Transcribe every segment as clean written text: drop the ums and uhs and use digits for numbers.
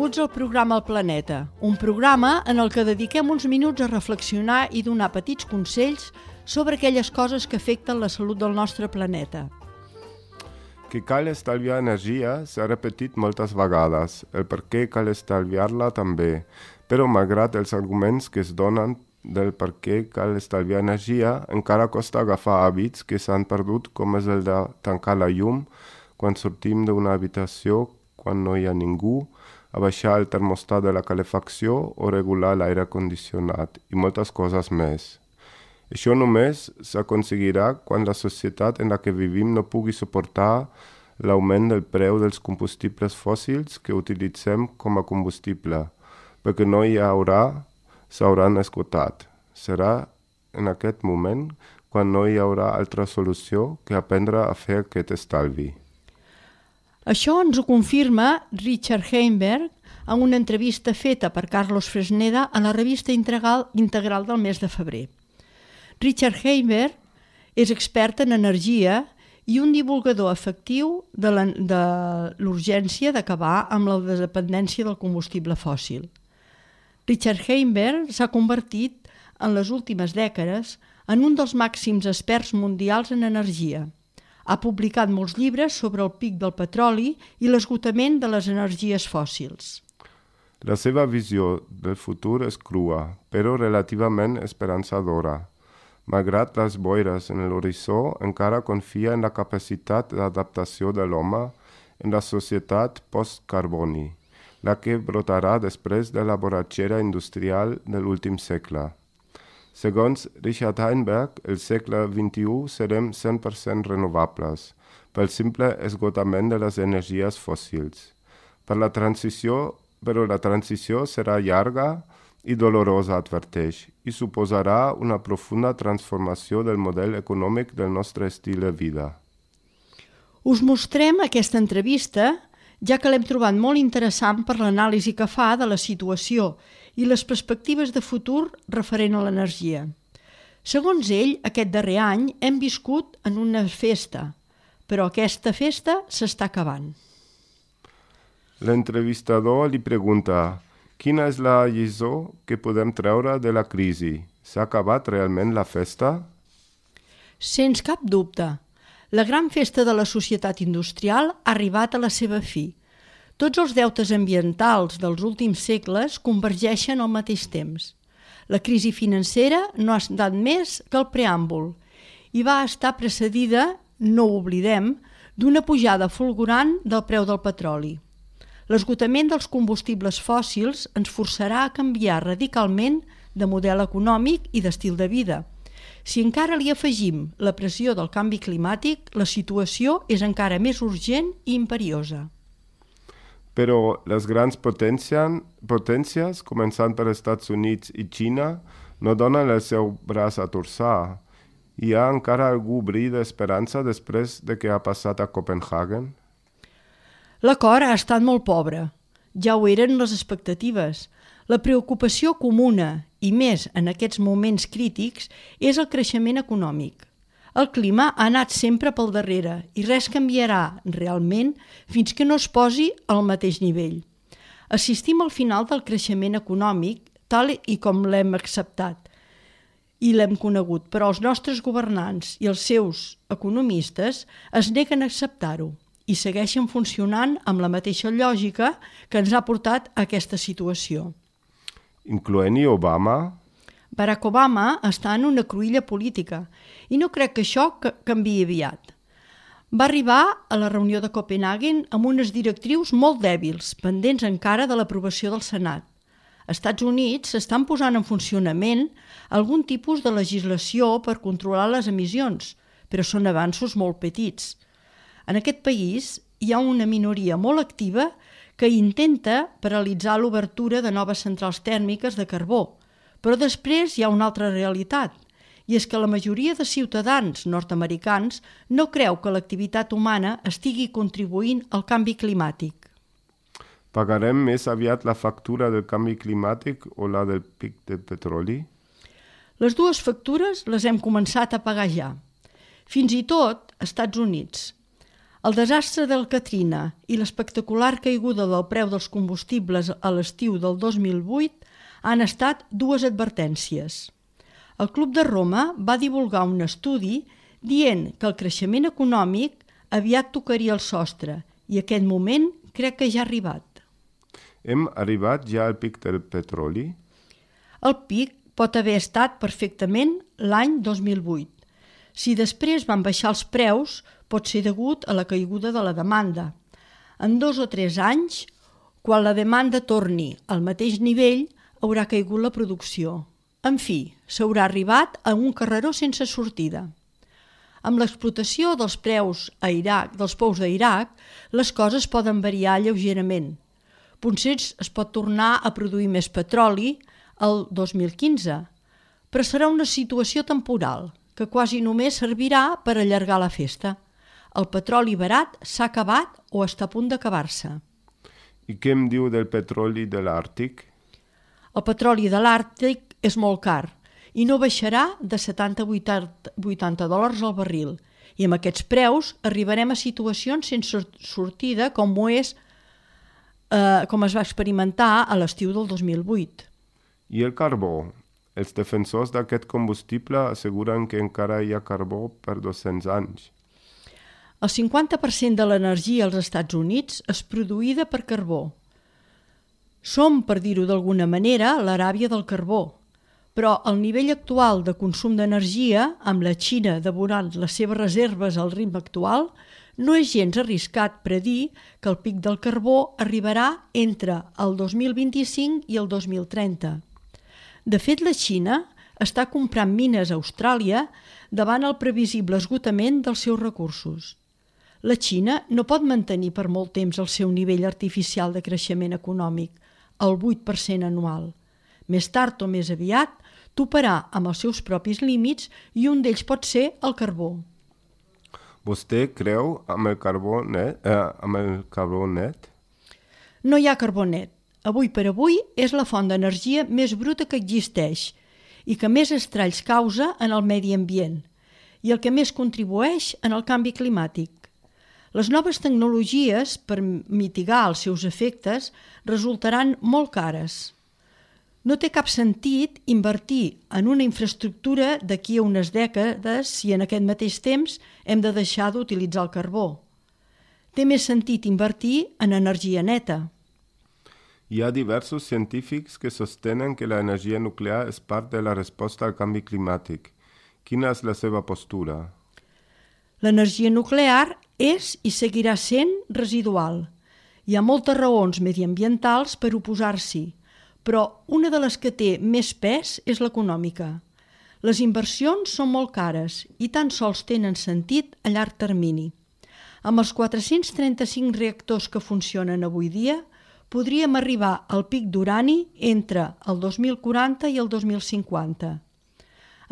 Benvinguts al programa El Planeta, un programa en el que dediquem uns minuts a reflexionar i donar petits consells sobre aquelles coses que afecten la salut del nostre planeta. Que cal estalviar energia s'ha repetit moltes vegades, el per què cal estalviar-la també, però malgrat els arguments que es donen del per què cal estalviar energia, encara costa agafar hàbits que s'han perdut, com és el de tancar la llum quan sortim d'una habitació, quan no hi ha ningú, abaixar el termostat de la calefacció o regular l'aire condicionat i moltes coses més. Això només s'aconseguirà quan la societat en la que vivim no pugui suportar l'augment del preu dels combustibles fòssils que utilitzem com a combustible, perquè no hi haurà, s'hauran esgotat. Serà en aquest moment quan no hi haurà altra solució que aprendre a fer aquest estalvi. Això ens ho confirma Richard Heimberg en una entrevista feta per Carlos Fresneda a la revista Integral del mes de febrer. Richard Heimberg és expert en energia i un divulgador efectiu de l'urgència d'acabar amb la dependència del combustible fòssil. Richard Heimberg s'ha convertit en les últimes dècades en un dels màxims experts mundials en energia. Ha publicat molts llibres sobre el pic del petroli i l'esgotament de les energies fòssils. La seva visió del futur és crua, però relativament esperançadora. Malgrat les boires en l'horitzó, encara confia en la capacitat d'adaptació de l'home en la societat post-carboni, la que brotarà després de la borratxera industrial de l'últim segle. Segons Richard Heimberg, el segle XXI serem 100% renovables, pel simple esgotament de les energies fòssils. Però la transició serà llarga i dolorosa, adverteix, i suposarà una profunda transformació del model econòmic del nostre estil de vida. Us mostrem aquesta entrevista, ja que l'hem trobat molt interessant per l'anàlisi que fa de la situació i les perspectives de futur referent a l'energia. Segons ell, aquest darrer any hem viscut en una festa, però aquesta festa s'està acabant. L'entrevistador li pregunta: quina és la lliçó que podem treure de la crisi? S'ha acabat realment la festa? Sens cap dubte. La gran festa de la societat industrial ha arribat a la seva fi. Tots els deutes ambientals dels últims segles convergeixen al mateix temps. La crisi financera no ha estat més que el preàmbul i va estar precedida, no ho oblidem, d'una pujada fulgurant del preu del petroli. L'esgotament dels combustibles fòssils ens forçarà a canviar radicalment de model econòmic i d'estil de vida. Si encara li afegim la pressió del canvi climàtic, la situació és encara més urgent i imperiosa. Però les grans potències, començant per Estats Units i Xina, no donen el seu braç a torçar. Hi ha encara algú bri d'esperança després de què ha passat a Copenhagen? L'acord ha estat molt pobre. Ja ho eren les expectatives. La preocupació comuna, i més en aquests moments crítics, és el creixement econòmic. El clima ha anat sempre pel darrere i res canviarà realment fins que no es posi al mateix nivell. Assistim al final del creixement econòmic tal i com l'hem acceptat i l'hem conegut, però els nostres governants i els seus economistes es neguen a acceptar-ho i segueixen funcionant amb la mateixa lògica que ens ha portat a aquesta situació. Incloent-hi Obama? Barack Obama està en una cruïlla política i no crec que això canviï aviat. Va arribar a la reunió de Copenhagen amb unes directrius molt dèbils, pendents encara de l'aprovació del Senat. Als Estats Units s'estan posant en funcionament algun tipus de legislació per controlar les emissions, però són avanços molt petits. En aquest país hi ha una minoria molt activa que intenta paralitzar l'obertura de noves centrals tèrmiques de carbó, però després hi ha una altra realitat, i és que la majoria de ciutadans nord-americans no creu que l'activitat humana estigui contribuint al canvi climàtic. Pagarem més aviat la factura del canvi climàtic o la del pic de petroli? Les dues factures les hem començat a pagar ja. Fins i tot als Estats Units. El desastre del Katrina i l'espectacular caiguda del preu dels combustibles a l'estiu del 2008 han estat dues advertències. El Club de Roma va divulgar un estudi dient que el creixement econòmic aviat tocaria el sostre i aquest moment crec que ja ha arribat. Hem arribat ja al pic del petroli? El pic pot haver estat perfectament l'any 2008. Si després van baixar els preus, pot ser degut a la caiguda de la demanda. En 2 o 3 anys, quan la demanda torni al mateix nivell, haurà caigut la producció. En fi, s'haurà arribat a un carreró sense sortida. Amb l'explotació dels preus dels pous d'Iraq, les coses poden variar lleugerament. Potser es pot tornar a produir més petroli el 2015, però serà una situació temporal, que quasi només servirà per allargar la festa. El petroli barat s'ha acabat o està a punt d'acabar-se. I què em diu del petroli de l'Àrtic? El petroli de l'Àrtic és molt car i no baixarà de 70-80 dòlars al barril. I amb aquests preus arribarem a situacions sense sortida com es va experimentar a l'estiu del 2008. I el carbó? Els defensors d'aquest combustible asseguren que encara hi ha carbó per 200 anys. El 50% de l'energia als Estats Units és produïda per carbó. Som, per dir-ho d'alguna manera, l'Aràbia del carbó, però el nivell actual de consum d'energia, amb la Xina devorant les seves reserves al ritme actual, no és gens arriscat predir que el pic del carbó arribarà entre el 2025 i el 2030. De fet, la Xina està comprant mines a Austràlia davant el previsible esgotament dels seus recursos. La Xina no pot mantenir per molt temps el seu nivell artificial de creixement econòmic, el 8% anual. Més tard o més aviat, toparà amb els seus propis límits i un d'ells pot ser el carbó. Vostè creu amb el carbó net? No hi ha carbó net. Avui per avui és la font d'energia més bruta que existeix i que més estralls causa en el medi ambient i el que més contribueix en el canvi climàtic. Les noves tecnologies, per mitigar els seus efectes, resultaran molt cares. No té cap sentit invertir en una infraestructura d'aquí a unes dècades si en aquest mateix temps hem de deixar d'utilitzar el carbó. Té més sentit invertir en energia neta. Hi ha diversos científics que sostenen que l'energia nuclear és part de la resposta al canvi climàtic. Quina és la seva postura? L'energia nuclear és i seguirà sent residual. Hi ha moltes raons mediambientals per oposar-s'hi, però una de les que té més pes és l'econòmica. Les inversions són molt cares i tan sols tenen sentit a llarg termini. Amb els 435 reactors que funcionen avui dia, podríem arribar al pic d'urani entre el 2040 i el 2050.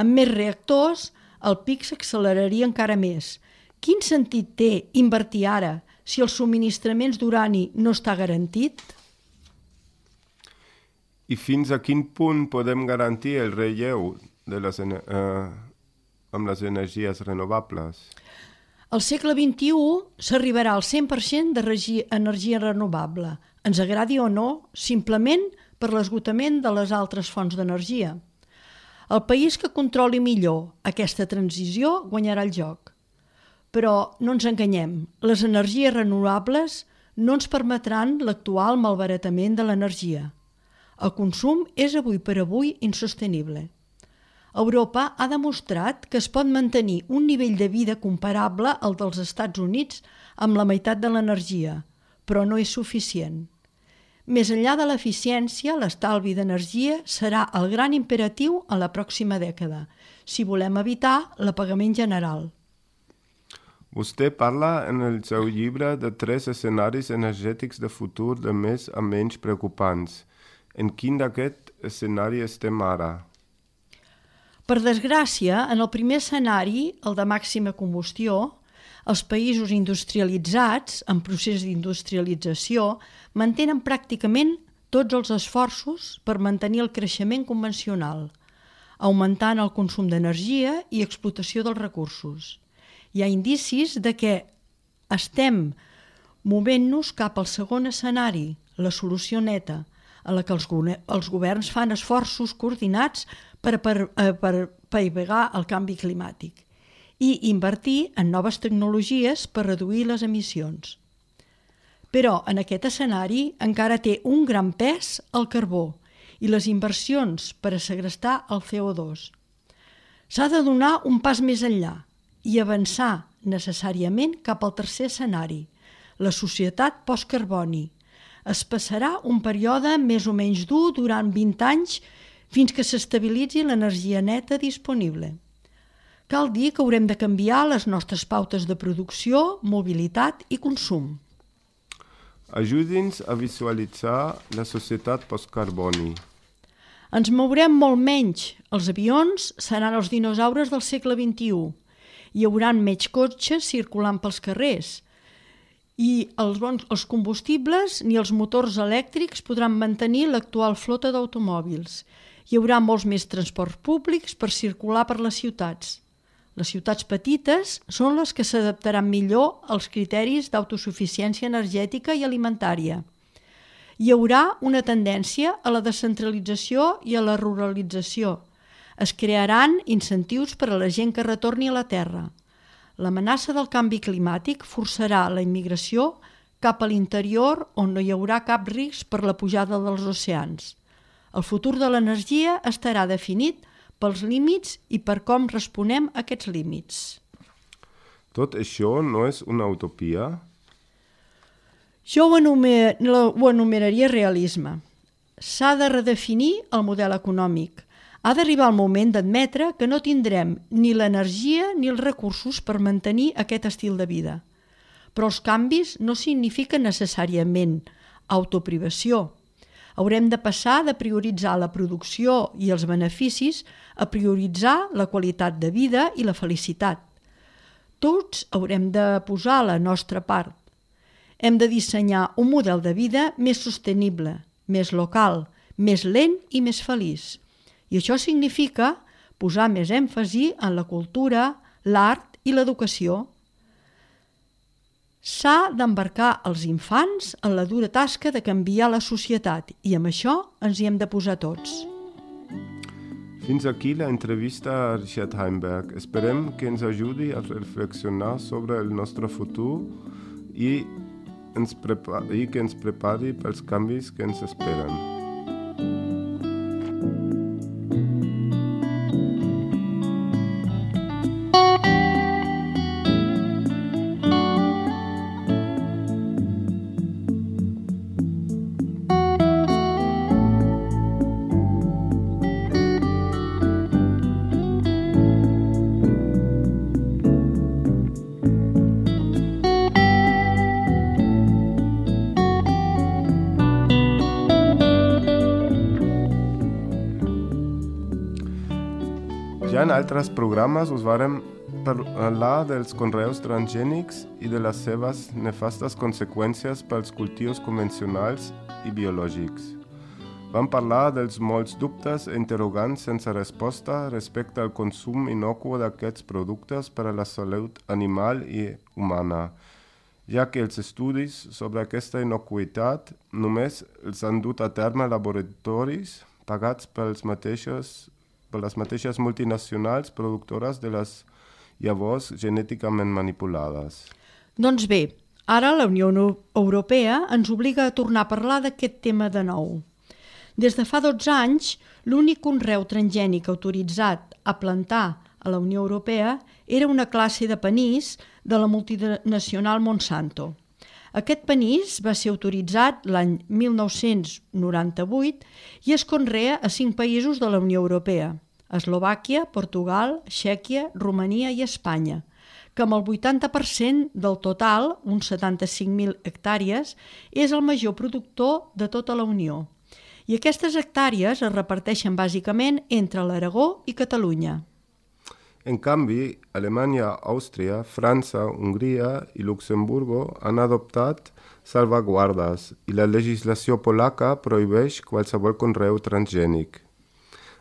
Amb més reactors, el pic s'acceleraria encara més. Quin sentit té invertir ara si els subministraments d'urani no està garantit? I fins a quin punt podem garantir el relleu amb les energies renovables? Al segle XXI s'arribarà al 100% d'energia renovable, ens agradi o no, simplement per l'esgotament de les altres fonts d'energia. El país que controli millor aquesta transició guanyarà el joc. Però no ens enganyem, les energies renovables no ens permetran l'actual malbaratament de l'energia. El consum és avui per avui insostenible. Europa ha demostrat que es pot mantenir un nivell de vida comparable al dels Estats Units amb la meitat de l'energia, però no és suficient. Més enllà de l'eficiència, l'estalvi d'energia serà el gran imperatiu a la pròxima dècada, si volem evitar l'apagament general. Vostè parla en el seu llibre de 3 escenaris energètics de futur de més a menys preocupants. En quin d'aquest escenari estem ara? Per desgràcia, en el primer escenari, el de màxima combustió, els països industrialitzats, en procés d'industrialització, mantenen pràcticament tots els esforços per mantenir el creixement convencional, augmentant el consum d'energia i explotació dels recursos. Hi ha indicis de que estem movent-nos cap al segon escenari, la solució neta, a la que els governs fan esforços coordinats per apaivagar el canvi climàtic i invertir en noves tecnologies per reduir les emissions. Però en aquest escenari encara té un gran pes el carbó i les inversions per a segrestar el CO2. S'ha de donar un pas més enllà i avançar necessàriament cap al tercer escenari, la societat postcarboni. Es passarà un període més o menys dur durant 20 anys fins que s'estabilitzi l'energia neta disponible. Cal dir que haurem de canviar les nostres pautes de producció, mobilitat i consum. Ajudi'ns a visualitzar la societat postcarboni. Ens mourem molt menys. Els avions seran els dinosaures del segle XXI. Hi haurà menys cotxes circulant pels carrers. I els combustibles ni els motors elèctrics podran mantenir l'actual flota d'automòbils. Hi haurà molts més transports públics per circular per les ciutats. Les ciutats petites són les que s'adaptaran millor als criteris d'autosuficiència energètica i alimentària. Hi haurà una tendència a la descentralització i a la ruralització. Es crearan incentius per a la gent que retorni a la terra. L'amenaça del canvi climàtic forçarà la immigració cap a l'interior on no hi haurà cap risc per la pujada dels oceans. El futur de l'energia estarà definit pels límits i per com responem a aquests límits. Tot això no és una utopia? Jo ho enumeraria realisme. S'ha de redefinir el model econòmic. Ha d'arribar el moment d'admetre que no tindrem ni l'energia ni els recursos per mantenir aquest estil de vida. Però els canvis no signifiquen necessàriament autoprivació. Haurem de passar de prioritzar la producció i els beneficis a prioritzar la qualitat de vida i la felicitat. Tots haurem de posar la nostra part. Hem de dissenyar un model de vida més sostenible, més local, més lent i més feliç. I això significa posar més èmfasi en la cultura, l'art i l'educació. S'ha d'embarcar els infants en la dura tasca de canviar la societat i amb això ens hi hem de posar tots. Fins aquí la entrevista a Richard Heimberg. Esperem que ens ajudi a reflexionar sobre el nostre futur i que ens prepari pels canvis que ens esperen. Ja en altres programes us vàrem parlar dels conreus transgènics i de les seves nefastes conseqüències pels cultius convencionals i biològics. Vam parlar dels molts dubtes i interrogants sense resposta respecte al consum innocu d'aquests productes per a la salut animal i humana, ja que els estudis sobre aquesta innocuïtat només els han dut a terme laboratoris pagats per les mateixes multinacionals productores de les llavors genèticament manipulades. Doncs bé, ara la Unió Europea ens obliga a tornar a parlar d'aquest tema de nou. Des de fa 12 anys, l'únic conreu transgènic autoritzat a plantar a la Unió Europea era una classe de panís de la multinacional Monsanto. Aquest panís va ser autoritzat l'any 1998 i es conrea a 5 països de la Unió Europea, Eslovàquia, Portugal, Txèquia, Romania i Espanya, que amb el 80% del total, uns 75.000 hectàrees, és el major productor de tota la Unió. I aquestes hectàrees es reparteixen bàsicament entre l'Aragó i Catalunya. En canvi, Alemanya, Àustria, França, Hongria i Luxemburgo han adoptat salvaguardes i la legislació polaca prohibeix qualsevol conreu transgènic.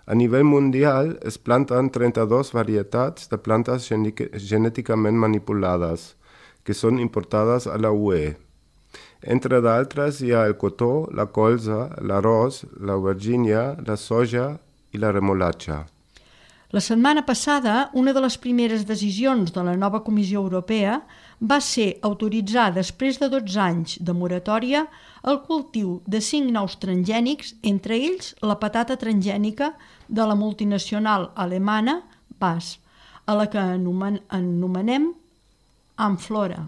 A nivell mundial es planten 32 varietats de plantes genèticament manipulades, que són importades a la UE. Entre d'altres hi ha el cotó, la colza, l'arròs, l'aubergínia, la soja i la remolatxa. La setmana passada, una de les primeres decisions de la nova Comissió Europea va ser autoritzar, després de 12 anys de moratòria, el cultiu de 5 nous transgènics, entre ells la patata transgènica de la multinacional alemana BASF, a la que anomenem Amflora.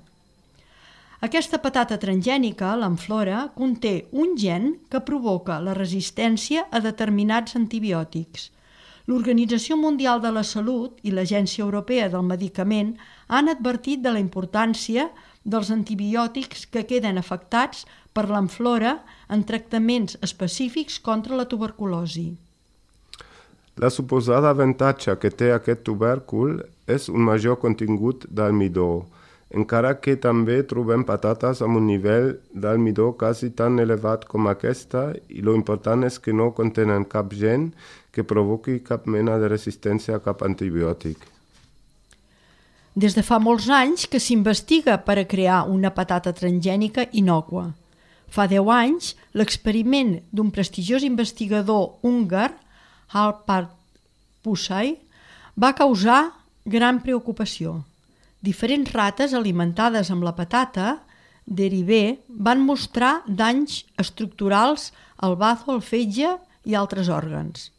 Aquesta patata transgènica, l'Amflora, conté un gen que provoca la resistència a determinats antibiòtics. L'Organització Mundial de la Salut i l'Agència Europea del Medicament han advertit de la importància dels antibiòtics que queden afectats per l'Amflora en tractaments específics contra la tuberculosi. La suposada avantatge que té aquest tubèrcul és un major contingut d'almidó, encara que també trobem patates amb un nivell d'almidó quasi tan elevat com aquesta i lo important és que no contenen cap gen que provoqui cap mena de resistència a cap antibiòtic. Des de fa molts anys que s'investiga per a crear una patata transgènica innòcua. Fa 10 anys, l'experiment d'un prestigiós investigador húngar, Alpár Pusztai, va causar gran preocupació. Diferents rates alimentades amb la patata derivé van mostrar danys estructurals al bazo, al fetge i altres òrgans.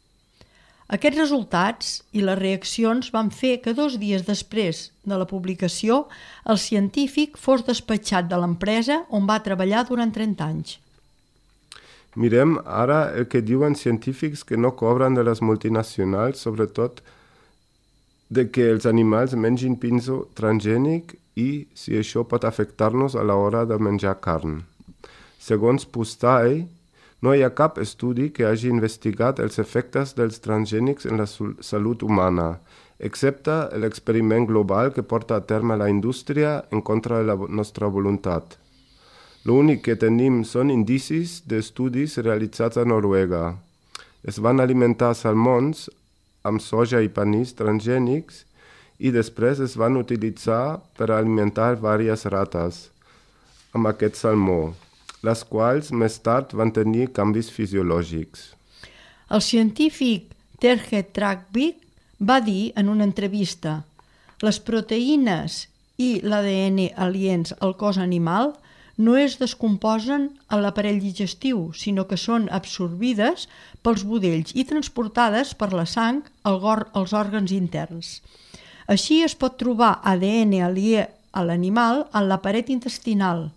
Aquests resultats i les reaccions van fer que 2 dies després de la publicació el científic fos despatxat de l'empresa on va treballar durant 30 anys. Mirem ara el que diuen científics que no cobren de les multinacionals, sobretot de que els animals mengin pinso transgènic i si això pot afectar-nos a l'hora de menjar carn. Segons Pusztai, no hi ha cap estudi que hagi investigat els efectes dels transgènics en la salut humana, excepte l'experiment global que porta a terme la indústria en contra de la nostra voluntat. L'únic que tenim són indicis d'estudis realitzats a Noruega. Es van alimentar salmons amb soja i panís transgènics i després es van utilitzar per alimentar diverses rates amb aquest salmó, les quals més tard van tenir canvis fisiològics. El científic Terje Trakvik va dir en una entrevista: les proteïnes i l'ADN aliens al cos animal no es descomposen a l'aparell digestiu, sinó que són absorbides pels budells i transportades per la sang als òrgans interns. Així es pot trobar ADN aliè a l'animal en la paret intestinal,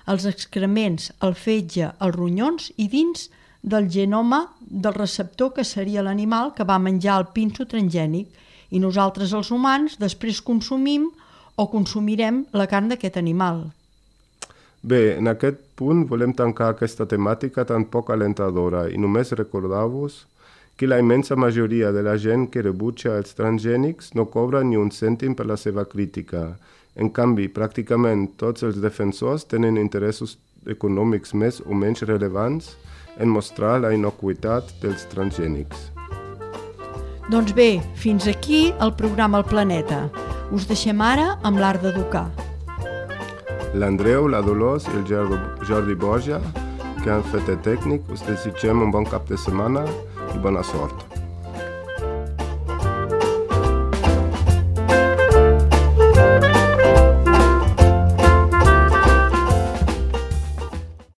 els excrements, el fetge, els ronyons i dins del genoma del receptor que seria l'animal que va menjar el pinso transgènic i nosaltres els humans després consumim o consumirem la carn d'aquest animal. Bé, en aquest punt volem tancar aquesta temàtica tan poc alentadora i només recordar-vos que la immensa majoria de la gent que rebutja els transgènics no cobra ni un cèntim per la seva crítica. En canvi, pràcticament tots els defensors tenen interessos econòmics més o menys rellevants en mostrar la inocuïtat dels transgènics. Doncs bé, fins aquí el programa El Planeta. Us deixem ara amb l'Art d'Educar. L'Andreu, la Dolors i el Jordi Borja, que han fet el tècnic, us desitgem un bon cap de setmana i bona sort.